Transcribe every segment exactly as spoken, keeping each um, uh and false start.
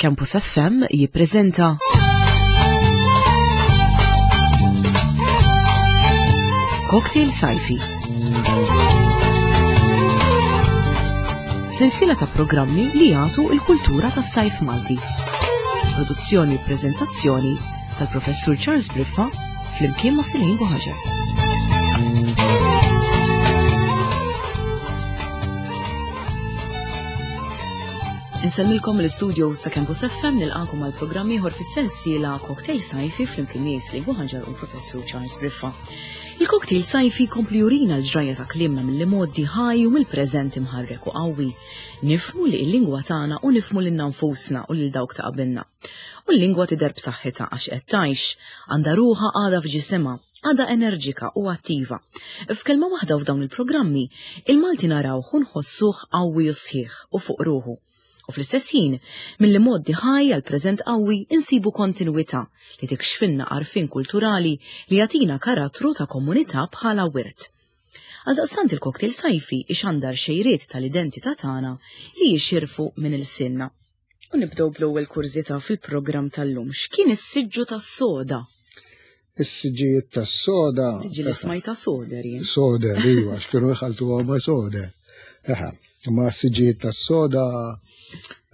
Campus F M jippreżenta Cocktail Sajfi. Sensiela ta' programmi li jagħtu l-kultura tas-sajf Malti. Produzzjoni u preżentazzjoni tal-Professur Charles Briffa flimkien ma' Celine Buhaġar. Insellmilkom l-istudio ta' Campus F M, nilqakom għal programm ieħor fis-sensiela Cocktail Sajfi flimkien miegħi Celine Buhaġar u l-Professur Charles Briffa. Il-cocktail sajfi jkompli jurina l-ġrajja ta' kliemna mill-modi ħaj u mill-preżent imħarrek u qawwi. Nifhmu li l-lingwa tagħna u nifhmu lilna nfusna u lil dawk ta' qabilna. U l-lingwa tidher b'saħħitha għax qed tgħix, għandha ruħha għadha f'ġisimha, għadha enerġika u attiva. F'kelma waħda f'dawn il-programmi, il-Malti narawh u nħossuh qawwi u sħiħ u fuq ruħu. U fl-istess ħin, milli moddi ħaj għal preżent qawwi insibu kontinwità li tikxfilna għarfien kulturali li jagħtina karattru ta' komunità bħala wirt. Għaldaqstant il-cocktail sajfi ixandar xejriet tal-identità tagħna li jixirfu minn ilsienna. U nibdew bl-ewwel kurżità fil-programm tal-lum. X'kien is-siġġu tas-soda? Is-siġġijiet tas-soda. Tiġi li smajta soder jien. Soder, iva, x'kienu jħaltuha ma' soder. Eħe. Ma s-siġġijiet tas-soda,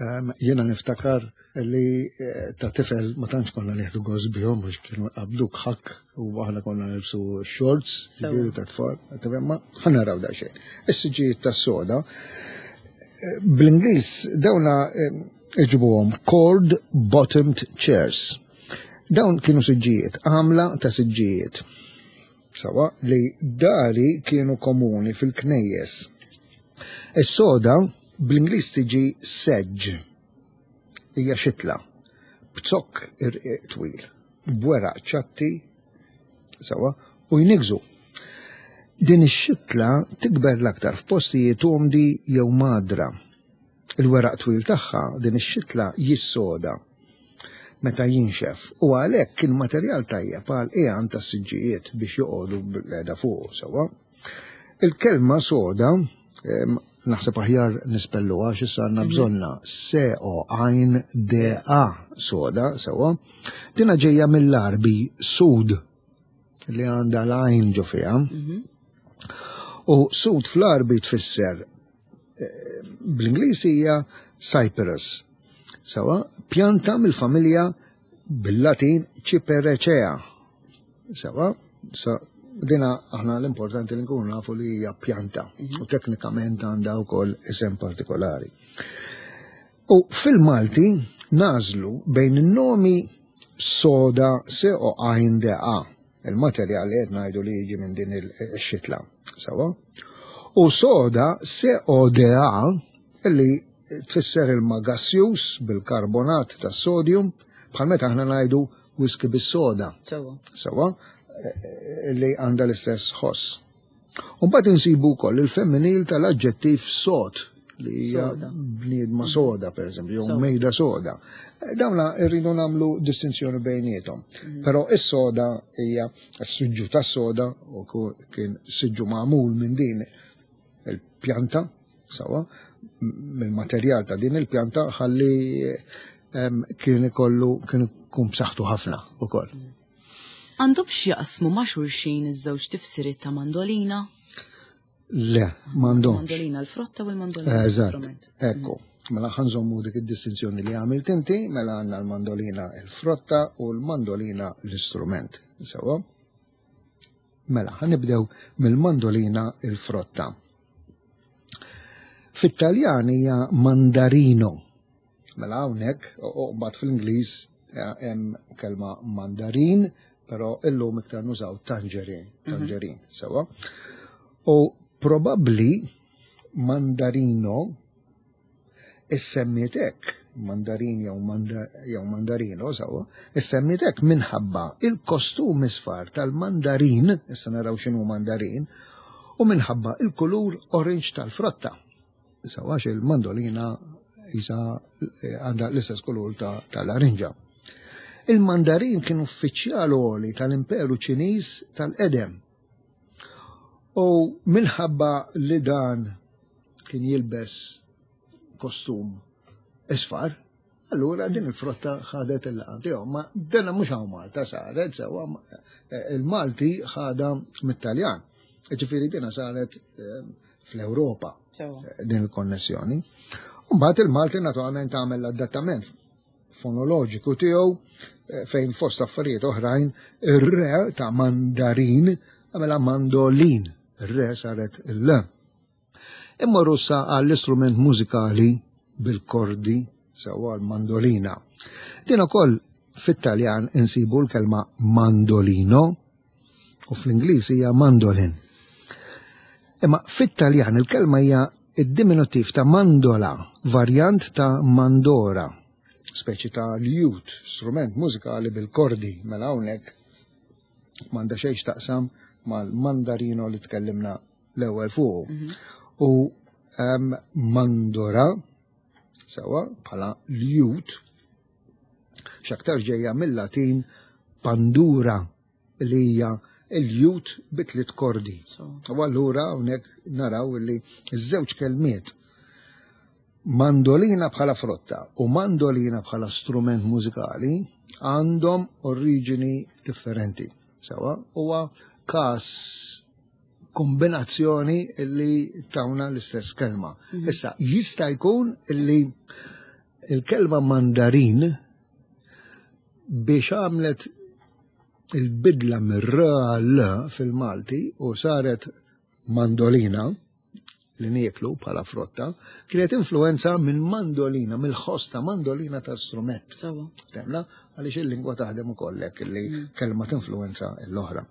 ehm, jiena niftakar li, eh, ta' tifel ma tantx konna nieħdu gost bihom għax kienu qabduk ħakk u aħna konna nilbsu shorts, Sewa. ġifieri ta' tfal, tifhem, ma ħa naraw daqsxejn. Is-siġġijiet tas-soda, eh, bl-Ingliż dawna, eh, iġibuhom cord bottomed chairs. Dawn kienu siġġijiet, għamla ta' siġġijiet. Sawa, li dari kienu komuni fil-knejjes. Is-soda bl-Ingliż tiġi sedge, hija xitla, b'zokk irqiq twil, b'weraq ċatti, sawa, u jnigżu. Din ix-xitla tikber l-aktar f'postijiet umdi jew madra. Il-weraq twil tagħha din ix-xitla jissoda meta jinxef u għalhekk kien materjal tajjeb għal qiegħan tas-siġġijiet biex joqogħdu bil-qeda fuq, sawa. Il-kelma soda, em, naħseb aħjar nispellu għax issa għandna Mhm. bżonna S O għajn D A soda, sewa. Dina ġejja mill-Arbi sud li għandha l-għajn ġo fiha. Mhm. U sud fl-Arbi tfisser, eh, bl-Ingliż hija cypress. Sewa, pjanta mill-familja bil-Latin Cyperaceae. Sewa, sa dina aħna l-importanti li nkunu nafu li hija pjanta Mhm. u teknikament għandha wkoll isem partikolari. U fil-Malti nażlu bejn in-nomi soda S O għajn D A, il-materjal li qed ngħidu li jiġi minn din il-xitla, sewa? U soda S O D A li tfisser ilma gassjuż bil-karbonat tas-sodium bħal meta aħna ngħidu whisky bis-soda. Sewa. Sewa? Li għandha l-istess ħoss. U mbagħad insibu wkoll il-femminil tal-aġġettiv sod li hija Soda. bniedma soda, per eżempju, jew Soda. mejda soda. Dawna rridu nagħmlu distinzjoni bejniethom. Mm. Però is-soda hija s-siġġu tas-soda u ku-, kien siġġu magħmul minn din il-pjanta, sawa, mill-materjal ta' din il-pjanta ħalli, em, kien ikollu, kien ikun b'saħħtu ħafna ukoll. Mm. Għandhom x'jaqsmu ma' xulxin iż-żewġ tifsiriet ta' mandolina? Le, m'għandhomx. Mandolina l-frotta u l-mandolina Eżatt, l-istrument. ekku. Mela ħa nżommu dik id-distinzjoni li għamilt inti, mela għandna l-mandolina l-frotta u l-mandolina l-istrument. Sewa? Mela, ħa nibdew mill-mandolina l-frotta. Fit-Taljan hija mandarino. Mela hawnhekk, u, u mbagħad fl-Ingliż, eh, hemm kelma mandarin, però illum iktar nużaw tangerine, Mhm. tangerine, sewa. U probabbli mandarino issemmiet hekk, mandarin jew manda-, jew mandarino, sewa, issemmiet hekk minħabba il-kostum isfar tal-mandarin, issa naraw x'inhu mandarin, u minħabba il-kulur orange tal-frotta. Sewa, għax il-mandolina isa, eh, għandha l-istess kulur ta-, tal-larinġa. Il-mandarin kien uffiċjal għoli tal-Imperu Ċiniż tal-Qedem. U minħabba li dan kien jilbes kostum isfar, Allura din il-frotta ħadet il-laqam tiegħu, ma dena mhux hawn Malta saret, sewwa il-Malti ħadha mit-Taljan. Ġifieri dina saret fl-Ewropa din il-konnessjoni. Mbagħad il-Malti naturalment għamel l-adattament fonoloġiku tiegħu fejn fost affarijiet oħrajn ir-re ta' mandarin għamela mandolin, ir-re saret il-l. Imma russa għall-istrument mużikali bil-kordi sewwa l-mandolina. Din ukoll fit-Taljan insibu l-kelma mandolino u fl-Ingliż hija mandolin. Imma fit-Taljan il-kelma hija id-diminutiv ta' mandola, varjant ta' mandora, speċi ta' lute, strument mużikali bil-kordi, mela hawnhekk m'għandha xejn x'taqsam mal-mandarino li tkellimna l-ewwel fuq. U mandora sewwa bħala lute x'aktar ġejja mill-Latin pandura li hija il-lute bi tliet kordi. U allura hawnhekk naraw li ż-żewġ kelmiet mandolina bħala frotta u mandolina bħala strument mużikali għandhom oriġini differenti. Sewwa huwa każ kombinazzjoni li tawna l-istess kelma. Issa, jista' jkun illi il-kelma mandarin biex għamlet il-bidla mir-r fil-Malti u saret mandolina li nieklu bħala frotta, kienet influenza minn mandolina, mill-ħoss ta' mandolina ta' strument. Temna, għaliex il-lingwa taħdem ukoll hekk li kelma tinfluenza l-oħra.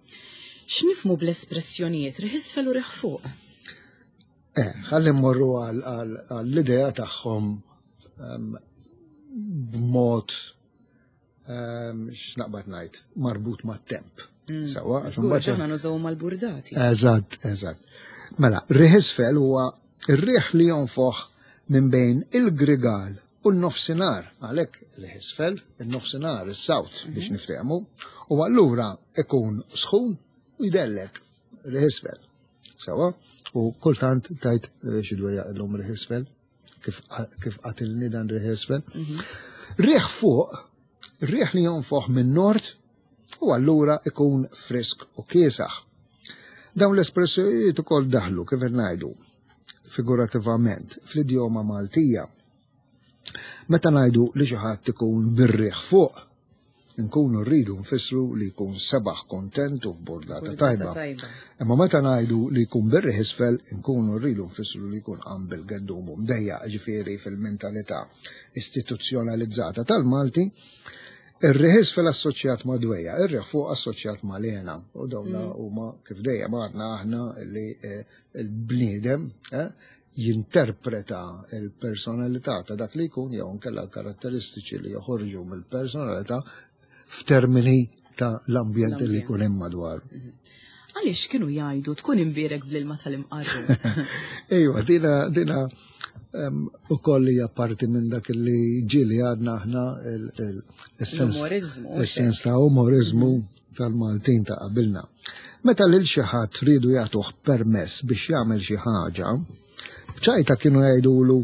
X'nifhmu bl-espressjonijiet riħ isfel u riħ fuq? Eh, ħalli mmorru għall-idea tagħhom b'mod x'naqbad ngħid, marbut mat-temp. Sewwa, għax imbagħad aħna nużaw mal-burdati. Eżatt, eżatt. Mela, riħ isfel huwa ir-riħ li jonfoħ minn bejn il-grigal u n-nofsinhar, għalhekk riħ isfel, in-nofsinhar, is-south biex niftehmu, u allura ikun sħun u jdellek riħ isfel. Sewwa, u kultant tajt xi dwejja illum riħ isfel, kif qatilni dan riħ isfel. Riħ fuq, riħ li jonfoħ minn nord u allura ikun frisk u kiesaħ. Dawn l-espressjonijiet ukoll daħlu kif ngħidu figurativament fl-idjoma Maltija. Meta ngħidu li xi ħadd ikun bir-riħ fuq, nkunu rridu nfissru li jkun sebaħ kontent u f'burdata tajba. Imma meta ngħidu li jkun bir-riħ isfel, nkunu rridu nfissru li jkun qam bil-geddum u mdejjaq, ġifieri fil-mentalità istituzzjonalizzata tal-Malti, ir-riħ isfel assoċjat ma' dwejja, ir-riħ fuq assoċjat ma' lena. U dawna huma kif dejjem għadna aħna li l-bniedem jinterpreta il-personalità ta' dak li jkun jew nkella l-karatteristiċi li joħorġu mill-personalità f'termini ta' l-ambjent li jkun hemm madwar. Għaliex kienu jgħidu tkun imbierek bl-ilma tal-imqarru? Ejwa, dina dina ukoll hija parti minn dak li ġieli għadna aħna il-sens ta' umorizmu tal-Maltin ta' qabilna. Meta lil xi ħadd ridu jagħtuh permess biex jagħmel xi ħaġa, b'ċajta kienu jgħidulu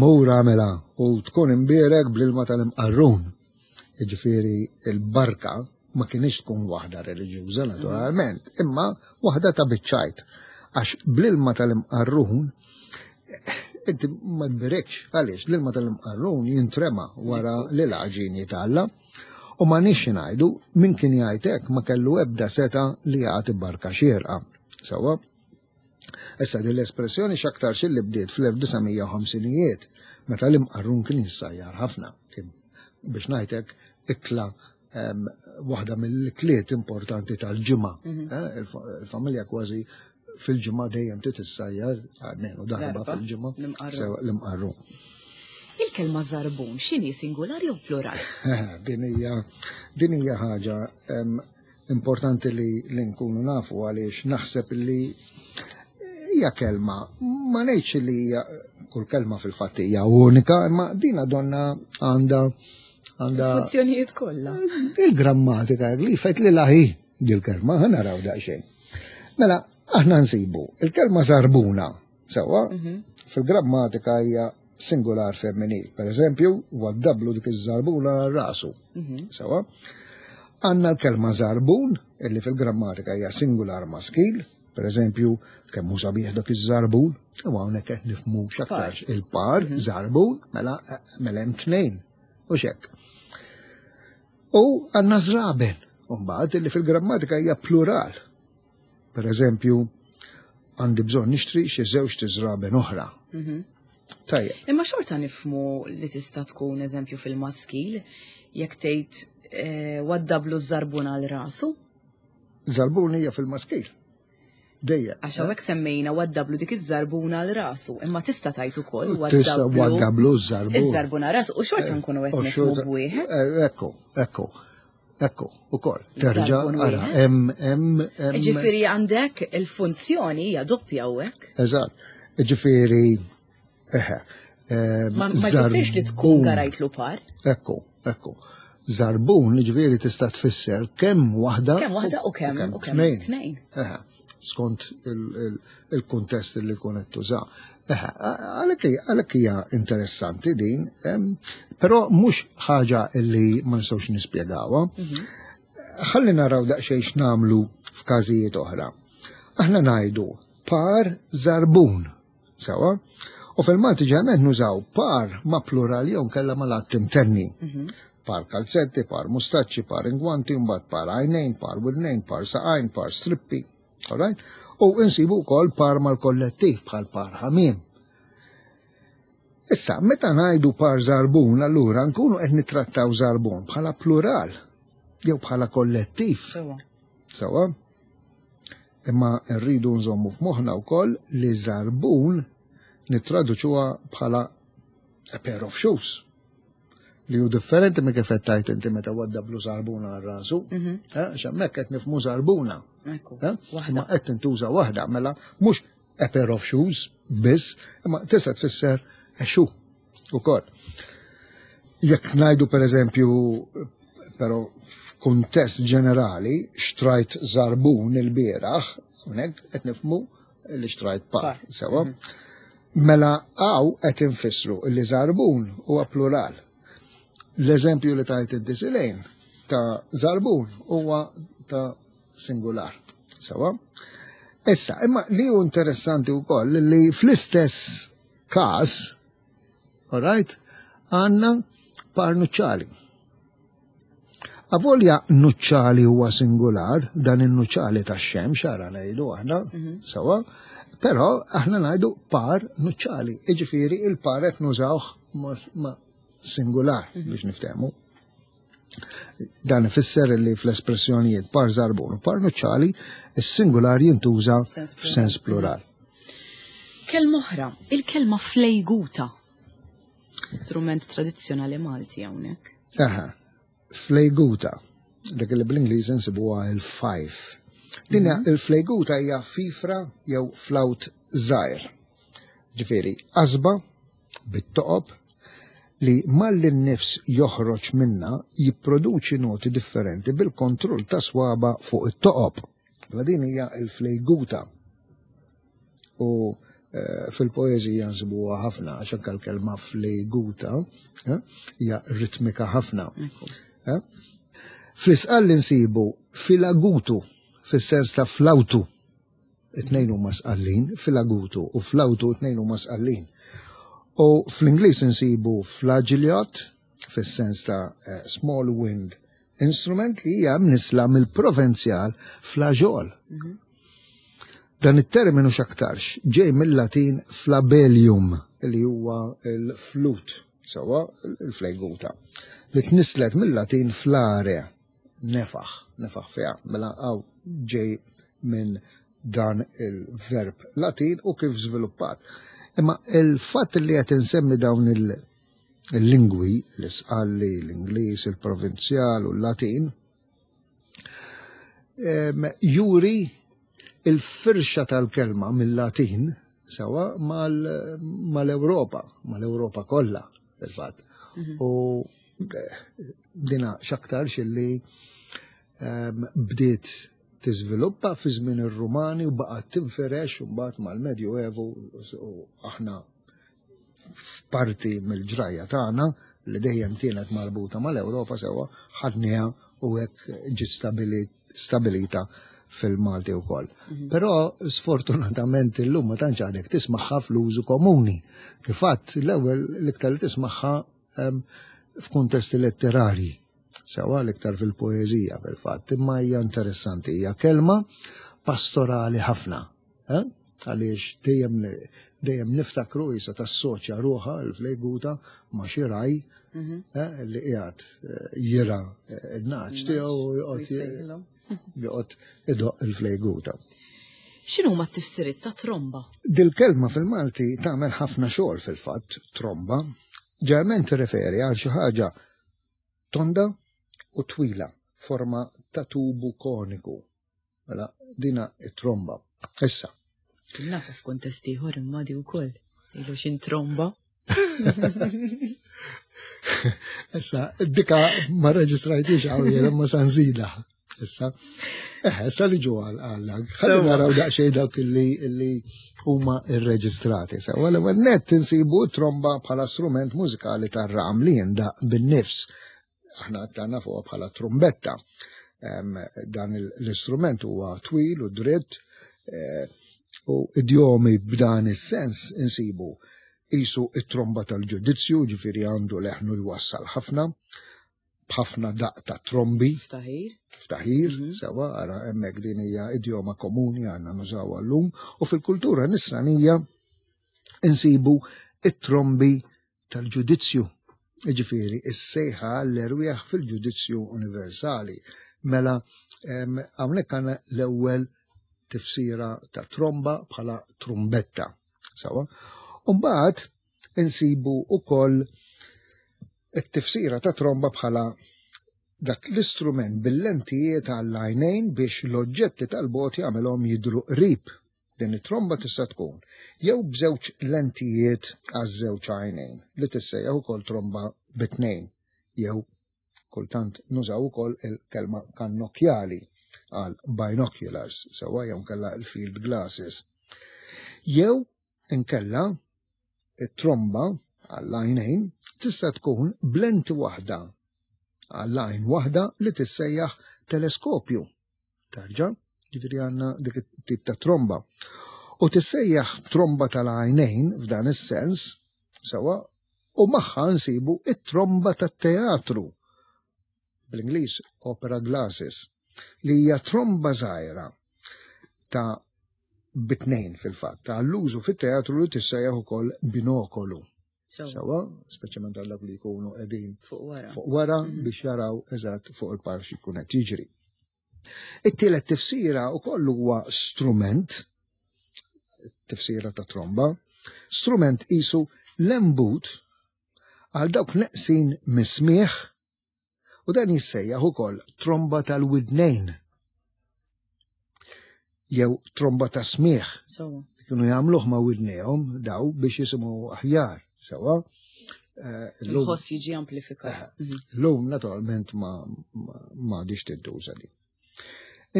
mur għamela u tkun imbierek bl-ilma tal-imqarrun. Jiġifieri il-barka ma kienx tkun waħda reliġjuża naturalment, imma waħda ta' biċċajt. Għax bl-ilma tal-imqarrun inti ma tberekx, għaliex l-ilma tal-imqarrun jintrema wara li l-għaġin jitgħalla. U ma nix ngħidu min kien jgħid hekk ma kellu ebda seta li jagħti barka xierqa. Sewwa? Issa din l-espressjoni x'aktar li bdiet fl-elf disa' mija u ħamsinijiet meta l-imqarrun kien jissajjar ħafna. Kien biex ngħidlek ikla waħda mill-ikliet importanti tal-ġimgħa. Il-familja kważi fil-ġimgħa dejjem titissajjar, għalmenu darba fil-ġimgħa, l-imqarrun. Il-kelma żarbun x'inhi, singolari jew plural? Din hija din hija ħaġa importanti li li nkunu nafu għaliex naħseb li hija kelma, ma ngħidx li hija kull kelma fil-fatt hija unika, imma dina donna għandha għandha funzjonijiet kollha. Il-grammatika li fejt li laħi dil-kelma, ħa naraw daqsxejn. Mela, aħna nsibu il-kelma żarbuna, sewwa, fil-grammatika hija singular femminil. Per eżempju, waddablu dik iż-żarbuna rasu. Sewa. Għandna l-kelma żarbun, illi fil-grammatika hija singular maskil, per eżempju, kemm hu sabiħ dak iż-żarbun, u hawnhekk qed nifhmu x'aktarx il-par, żarbun, mela mela hemm tnejn. U xek. U għandna żraben, u mbagħad illi fil-grammatika hija plural. Per eżempju, għandi bżonn nixtri xi żewġ żraben oħra. Tajjeb. Imma xorta nifhmu li tista' tkun eżempju fil-maskil, jekk tgħid eh, waddablu żarbun għal rasu, Żarbun hija fil-maskil. Dejjem. għax hawnhekk semmejna waddablu dik iż-żarbuna għal rasu, imma tista' tgħid ukoll Tista' waddablu waddablu żarbun. iż-żarbuna għal rasu u xorta nkunu qed U nifhmu xorta- b'wieħed. Eh, Ekku, ekku, ekku, ukoll. Terġa' Żarbun ara, wieħed. hemm hemm hemm. Ġifieri għandek il-funzjoni hija doppja hawnhekk. Eżatt. Ġifieri, eħe. ehm, Ma ma jfissirx li tkun żarbun. garajtlu par. Ekku, ekku. Żarbun, ġifieri tista' tfisser kemm waħda. Kemm waħda u kemm u kemm tnejn. tnejn. Eħe, skont il- il- il-kuntest li tkun qed tuża. Eħe, għalhekk hija- għalhekk hija interessanti din, em, però mhux ħaġa li ma nistgħux nispjegawha. Ħalli naraw daqsxejn x'nagħmlu f'każijiet oħra. Aħna ngħidu par żarbun, sewa? U fil-Malti ġeneralment nużaw par ma' plural jew kella ma' l-att imtenni. Par kalzetti, par mustaċċi, par ingwanti, mbagħad par għajnejn, par widnejn, par saqajn, par strippi. Alright? U insibu wkoll par mal-kollettiv bħal par ħamiem. Issa, meta ngħidu par żarbun, allura nkunu qed nittrattaw żarbun bħala plural jew bħala kollettiv. Sewa. Sewa? Imma rridu nżommu f'moħħna wkoll li żarbun nittraduċuha bħala a pair of shoes. Li hu differenti minn kif qed tgħid inti meta waddablu żarbuna għal rasu. Eh, Għax hemmhekk qed nifhmu żarbuna. Ekku. Eh? Waħda. Imma qed tintuża waħda, mela mhux a pair of shoes biss, imma tista' tfisser a shoe ukoll. Jekk ngħidu per eżempju, però f'kuntest ġenerali, xtrajt żarbun il-bieraħ, hawnhekk qed nifhmu li xtrajt par, Par. sewa. Mela hawn qed infissru li żarbun huwa plural. L-eżempju li tajt inti Silejn ta' żarbun huwa ta' singular. Sewa? Issa, imma li hu interessanti wkoll li fl-istess każ, alright, għandna par nuċċali. Avolja nuċċali huwa singular, dan il-nuċċali ta' xemx, ara ngħidu aħna, sewa, però aħna ngħidu par nuċċali. Iġifieri il-par qed nużawh ma, ma singular biex niftehmu. Dan ifisser li fl-espressjonijiet par żarbun u par nuċċali, is-singular jintuża F'sens plural. f'sens plural. Kelma oħra, il-kelma flejguta. Strument tradizzjonali Malti hawnhekk. Aha, flejguta, dak li bl-Ingliż insibuha il-fife. Din hija- il-flejguta hija fifra jew flawt żgħir. Ġifieri, qasba bit-toqob li malli n-nifs joħroġ minna jipproduċi noti differenti bil-kontroll ta' swaba fuq it-toqob. Mela din hija il-flejguta. U eh, fil-poeżija nsibuha ħafna, għax anke l-kelma flejguta eh, hija ritmika ħafna. Eh? Fl-Isqalli nsibu filagutu, fis-sens ta' flawtu. It-tnejn huma sqallin, filagutu u flawtu it-tnejn huma sqallin. U fl-Ingliż insibu flageolet, fis-sens ta' eh, small wind instrument li hija mnisla mill-Provenzjal flaġol. Dan it-terminu x'aktarx ġej mill-Latin flabellium, li huwa il-flut, sewa il-flejguta, li tnislet mill-Latin flare, nefaħ, nefaħ fiha, mela hawn ġej minn dan il-verb Latin u kif żviluppat. Imma il-fatt li qed insemmi dawn il- il-lingwi, l-Isqalli, l-Ingliż, il-Provenzjal u l-Latin, em, juri il-firxa tal-kelma mill-Latin sewa mal- mal-Ewropa, mal-Ewropa kollha, fil-fatt. U eh, dina x'aktarx illi em, bdiet tiżviluppa fi żmien ir-Rumani u baqgħet tinferex u mbagħad mal-Medju Evu u aħna F'parti mill-ġrajja tagħna li dejjem kienet marbuta mal-Ewropa, sewwa, ħadniha u hekk ġiet stabilita fil-Malti wkoll. Mhm. Però sfortunatament illum ma tantx għadek tismagħha fl-użu komuni. Kif għedt l-ewwel, l-iktar li tismagħha f'kuntesti letterarji. Sewwa, l-iktar fil-poeżija fil-fatt, imma hija interessanti, hija kelma pastorali ħafna. Eh? Għaliex dejjem dejjem niftakru jisa tassoċja ruħha l-flejguta ma' xi ragħaj mhm. eh, li qiegħed eh, jirgħa n-nagħaġ tiegħu u joqgħod joqgħod idoqq il-flejguta. X'inhu ma t-tifsiriet ta' tromba? Dil-kelma fil-Malti tagħmel ħafna xogħol fil-fatt, tromba. Ġeneralment tirreferi għal xi ħaġa tonda u twila, forma ta' tubu koniku. Mela dina it-tromba. Issa. Nafa f'kuntest ieħor imma di wkoll. Ilu xin tromba. Issa, dika ma reġistrajtix għaw jena ma sanżida. Issa, eh, issa li ġu għal Ħalli naraw daqsxejn dawk li li huma irreġistrati. Sewa l-ewwel nett insibu tromba bħala strument mużikali tar-ram li jindaq bin-nifs. Aħna għandna fuqha bħala trumbetta. Dan l-istrument huwa twil u dritt eh, u idjomi b'dan is-sens insibu qisu it-tromba tal-ġudizzju, ġifieri għandu leħnu jwassal ħafna, b'ħafna daq ta' trombi. Ftaħir. Ftaħir, mm -hmm. sewwa, ara hemmhekk din hija idjoma komuni għandna nużawha llum. U fil-kultura nisranija insibu it-trombi tal-ġudizzju. Ġifieri, is-sejħa l-erwieħ fil-ġudizzju universali. Mela, hawnhekk għandna l-ewwel tifsira ta' tromba bħala trumbetta. Sewwa. Umbagħad insibu ukoll it-tifsira ta' tromba bħala dak l-istrument bil-lentijiet għall-għajnejn biex l-oġġetti tal-bogħod jagħmelhom jidru qrib. Din it-tromba tista' tkun jew b'żewġ lentijiet għaż-żewġ għajnejn li tissejjaħ ukoll tromba bit-tnejn, jew kultant nużaw ukoll il-kelma kannokjali għal binoculars, sewwa, jew nkella il-field glasses. Jew inkella it-tromba għall-għajnejn tista' tkun b'lenti waħda għall-għajn waħda li tissejjaħ teleskopju. Tarġa, ġifieri għandna dik it-tip ta' tromba. U tissejjaħ tromba tal-għajnejn f'dan is-sens, sewwa, u magħha nsibu it-tromba tat-teatru. Bl-Ingliż opera glasses, li hija tromba żgħira ta' bitnejn fil-fatt, ta' l-użu fit-teatru li tissejjaħ ukoll binokolu. Sewwa, speċjalment għal dawk li jkunu qegħdin fuq wara. Fuq wara mhm. biex jaraw eżatt fuq il-palk x'ikun qed jiġri. It-tielet tifsira wkoll huwa strument, tifsira ta' tromba, strument qisu lembut għal dawk neqsin mis-smieħ u dan jissejjaħ ukoll tromba tal-widnejn jew tromba ta' smieħ. Kienu jagħmluh ma' widnejhom daw biex jisimgħu aħjar, sewwa. Eh, Il-ħoss jiġi amplifikat. Eh, mhm. Llum naturalment ma ma diċ tintuża din.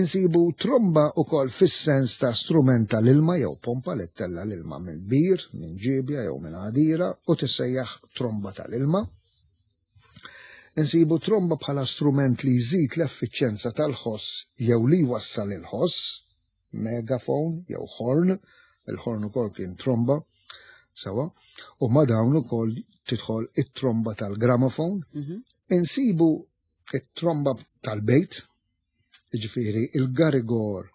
Insibu tromba ukoll fis-sens ta' strument tal-ilma jew pompa li ttella l-ilma minn bir, minn ġibja jew minn għadira u tissejjaħ tromba tal-ilma. Insibu tromba bħala strument li jżid l-effiċjenza tal-ħoss jew li jwassal il-ħoss, megafon jew horn, il-horn ukoll kien tromba, sewwa, u ma' dawn ukoll tidħol it-tromba tal-gramofon. Mhm. Insibu it-tromba tal-bejt, ġifieri il-garigor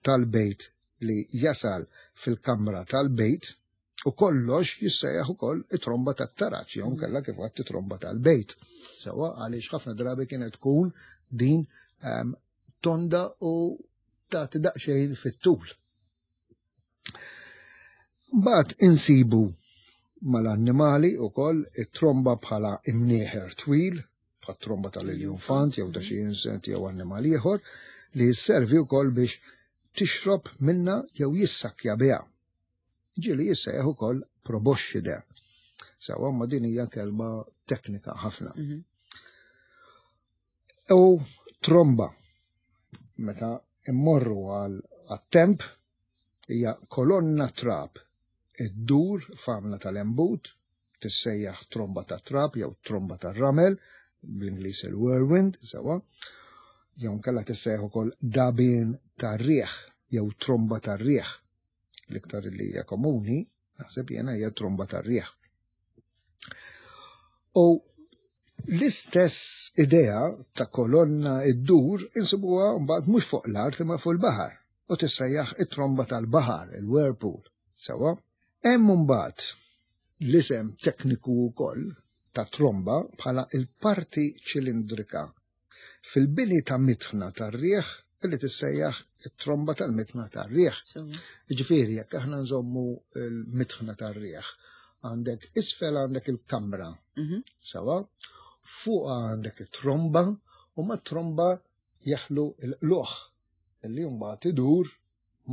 tal-bejt li jasal fil-kamra tal-bejt, u kollox jissejjaħ ukoll it-tromba tat-taraġ, jew nkella kif għedt it-tromba tal-bejt. Sewwa, għaliex ħafna drabi kienet tkun din um, tonda u tagħti daqsxejn fit-tul. Mbagħad insibu mal-annimali ukoll it-tromba bħala imnieħer twil, bħat tromba tal-iljunfant jew ta' xi insett jew annimal ieħor li jisservi wkoll biex tixrob minna jew jissakja biha. Ġieli jissejjaħ ukoll proboscide. Sewwa, ma din hija kelma teknika ħafna. Mm -hmm. U tromba, meta immorru għal temp, hija kolonna trab iddur f'għamla tal-embut Tissejjaħ tromba ta' trab jew tromba ta' ramel, bl-Ingliż il-whirlwind, sewwa. Jew nkella tissejjaħ ukoll dabien tar-riħ jew tromba tar-riħ. L-iktar li hija komuni, naħseb jiena, hija tromba tar-riħ. U l-istess idea ta' kolonna iddur insibuha mbagħad mhux fuq l-art imma fuq il-baħar u tissejjaħ it-tromba tal-baħar, il-whirlpool. Sewwa, hemm mbagħad l-isem tekniku wkoll ta' tromba bħala il-parti ċilindrika fil-bini ta' mitħna tar-riħ illi tissejjaħ it-tromba tal-mitħna tar-riħ. Ġifieri, jekk aħna nżommu l-mitħna tar-riħ, għandek isfel għandek il-kamra, mhm. sewwa, fuq għandek it-tromba u ma tromba jaħlu l-luħ illi mbagħad idur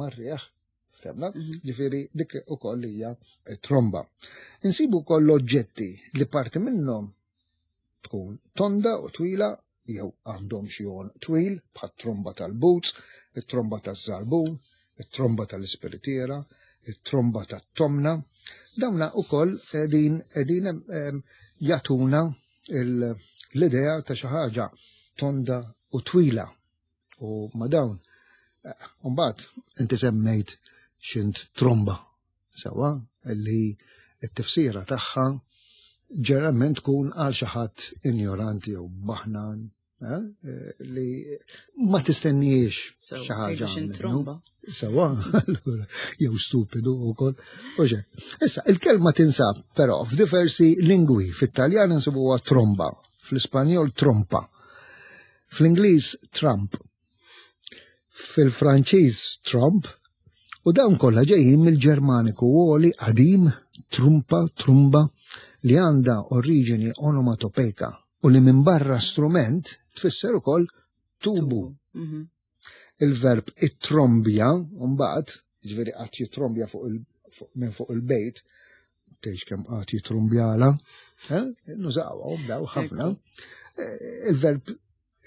mar-riħ. Ftemna? Mhm. Ġifieri dik ukoll hija tromba. Insibu wkoll oġġetti li parti minnhom tkun tonda u twila jew għandhom xi twil bħat tromba tal-boots, it-tromba taż-żarbun, it-tromba tal-ispiritiera, it-tromba tat-tomna. Dawna ukoll qegħdin qegħdin jagħtuna l-idea ta' xi ħaġa tonda u twila. U ma dawn, mbagħad inti semmejt x'int tromba, sewwa, li t-tifsira tagħha ġeneralment tkun għal xi ħadd injoranti jew baħnan, eh, li ma tistenniex xi ħaġa. Sewwa, allura jew stupidu wkoll. Issa, il-kelma tinsab però f'diversi lingwi. Fit-Taljan insibuha tromba, fl-Ispanjol trompa, fl-Ingliż Trump, fil-Franċiż Trump, u dawn kollha ġejjin mill-Ġermaniku għoli qadim trumpa, trumba, li għandha oriġini onomatopeka u li minn barra strument tfisser ukoll tubu. Mhm. Il-verb it-trombja, mbagħad, ġifieri qatt jitrombja fuq minn fuq il-bejt, tgħix kemm qatt jitrombjala, eh? Nużawhom daw ħafna. Eh, il-verb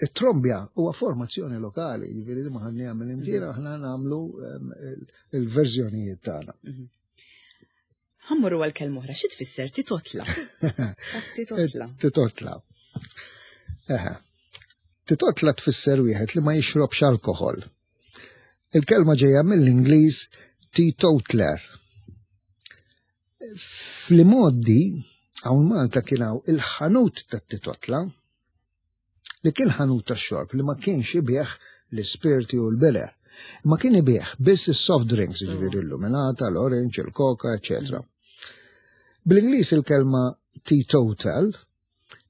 it-trombja huwa formazzjoni lokali, ġifieri ma ħanni għamil imkien, aħna nagħmlu ehm, il-verżjonijiet tagħna. Mhm. Ħammurru għal kelma oħra, xi tfisser titotla? Titotla. Titotla. Eħe. Titotla tfisser wieħed li ma jixrobx alkoħol. Il-kelma ġejja mill-Ingliż teetotaler. Fl-imgħoddi, hawn Malta kien hawn il-ħanut tat-titotla, li kien ħanut tax-xorb li ma kienx ibigħ l-ispirti u l-beer. Ma kien ibigħ biss is-soft drinks, ġifieri l-luminata, l-orange, il-coca, eccetera. Bl-Ingliż il-kelma teetotal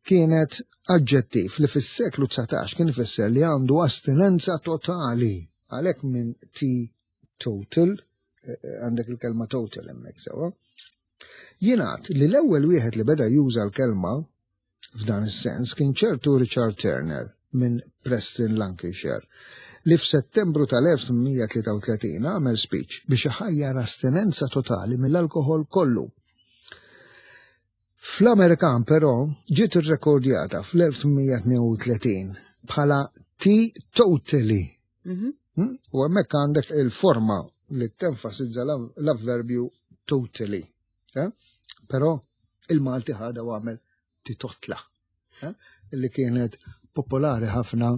kienet aġġettiv li fis-seklu dsatax kien ifisser li għandu astinenza totali. Għalhekk minn teetotal eh, eh, għandek il-kelma total hemmhekk sewwa. Jingħad li l-ewwel wieħed li beda juża l-kelma f'dan is-sens kien ċertu Richard Turner minn Preston, Lancashire, li f'Settembru tal-elf tmien mija tlieta u tletin għamel speech biex iħajjar astinenza totali mill-alkoħol kollu. Fl-Amerikan però ġiet irrekordjata fl-elf tmien mija tnejn u tletin bħala teetotally. Mhm. Hmm? U hemmhekk għandek il-forma li tenfasizza l-avverbju totally. Eh? Però il-Malti ħada u għamel titotla, eh? Li kienet popolari ħafna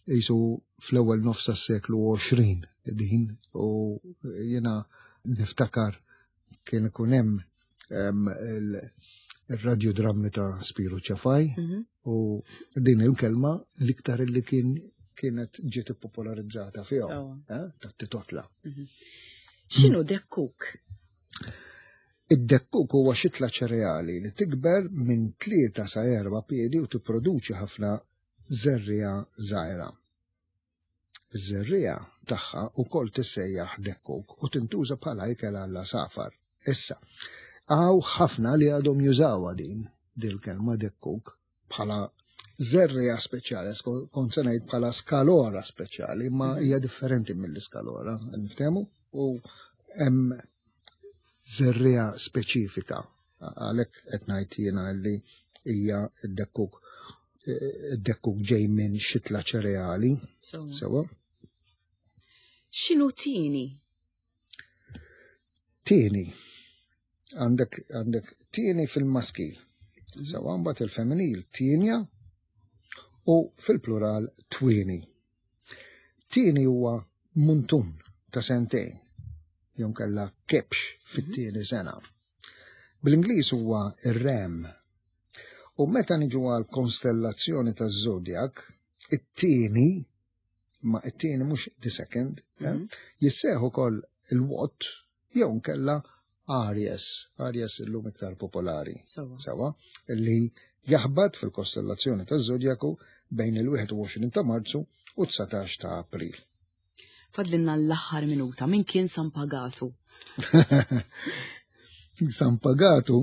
jisu fl-ewwel nofs tas-seklu għoxrin din, u jiena niftakar kien ikun hemm em, il- il-radiodrammi ta' Spiru Ċafaj Mhm. u din il-kelma l-iktar li kien kienet ġiet popolarizzata fihom, Sewwa. eh, ta' titotla. X'inhu dekkuk? Id-dekkuk huwa xitla ċereali li tikber minn tlieta sa erba' piedi u tipproduċi ħafna żerriegħa żgħira. Iż-żerriegħa tagħha wkoll tissejjaħ dekkuk u tintuża bħala ikel għall-għasafar. Issa, hawn ħafna li għadhom jużawha din dil-kelma dekkuk bħala żerriegħa speċjali, kont se ngħid bħala skalora speċjali, ma hija differenti mill-iskalora, niftehmu? U hemm żerriegħa speċifika, għalhekk qed ngħid jiena li hija d-dekkuk. Id-dekkuk ġej minn xitla ċereali, Sewwa. sewwa. X'inhu tieni? Tieni. Għandek għandek tieni fil-maskil. Sewwa, mbagħad il-femminil tienja u fil-plural twieni. Tieni huwa muntun ta' sentejn, jew kella kebx fit-tieni sena. Bl-Ingliż huwa ir-ram. U meta niġu għal konstellazzjoni ta' zodiak, it-tieni, ma it-tieni mhux the second, eh, jissejjaħ ukoll il-Watt jew nkella Aries, Aries illum iktar popolari. Sewwa. Sewwa, li jaħbad fil-kostellazzjoni ta' zodiaku bejn il-wieħed u għoxrin ta' Marzu u dsatax ta' April. Fadlinna l-aħħar minuta, min kien San Pagatu? San Pagatu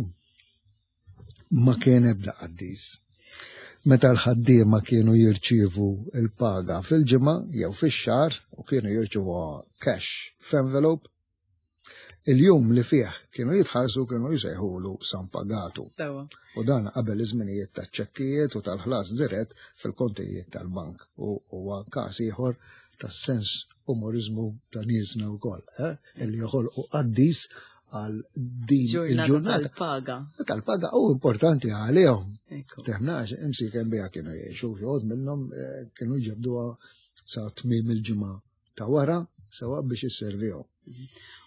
ma kien ebda qaddis. Meta l-ħaddiema kienu jirċievu il-paga fil-ġimgħa jew fix-xahar u kienu jirċievu cash f'envelope, il-jum li fih kienu jitħallsu kienu jsejħulu San Pagatu. Sewwa. U dan qabel iż-żminijiet taċ-ċekkijiet u tal-ħlas dirett fil-kontijiet tal-bank. U huwa każ ieħor tas-sens umorizmu ta' niesna wkoll, eh? Illi joħolqu qaddis għal din Ġurnata il-ġurnata tal-paga. Tal-paga u importanti għalihom. Ekku. Teħnax, imsiken biha kienu jgħixu, xogħod minnhom eh, kienu jġebduha sa tmiem il-ġimgħa ta' wara sewwa biex isservihom.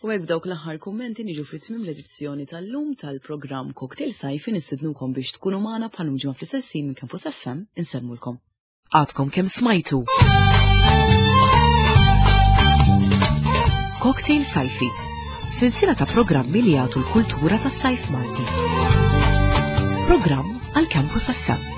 U hekk dawk l-aħħar kummenti niġu fi tmiem l-edizzjoni tal-lum tal-programm Cocktail Sajfi. Nistednukom biex tkunu magħna bħal ġimgħa fl-istess ħin minn Campus F M. Insellmulkom. Għadkom kemm smajtu Cocktail Sajfi, silsila ta' programmi li jagħtu l-kultura tas-sajf Malti. Programm għal Campus F M.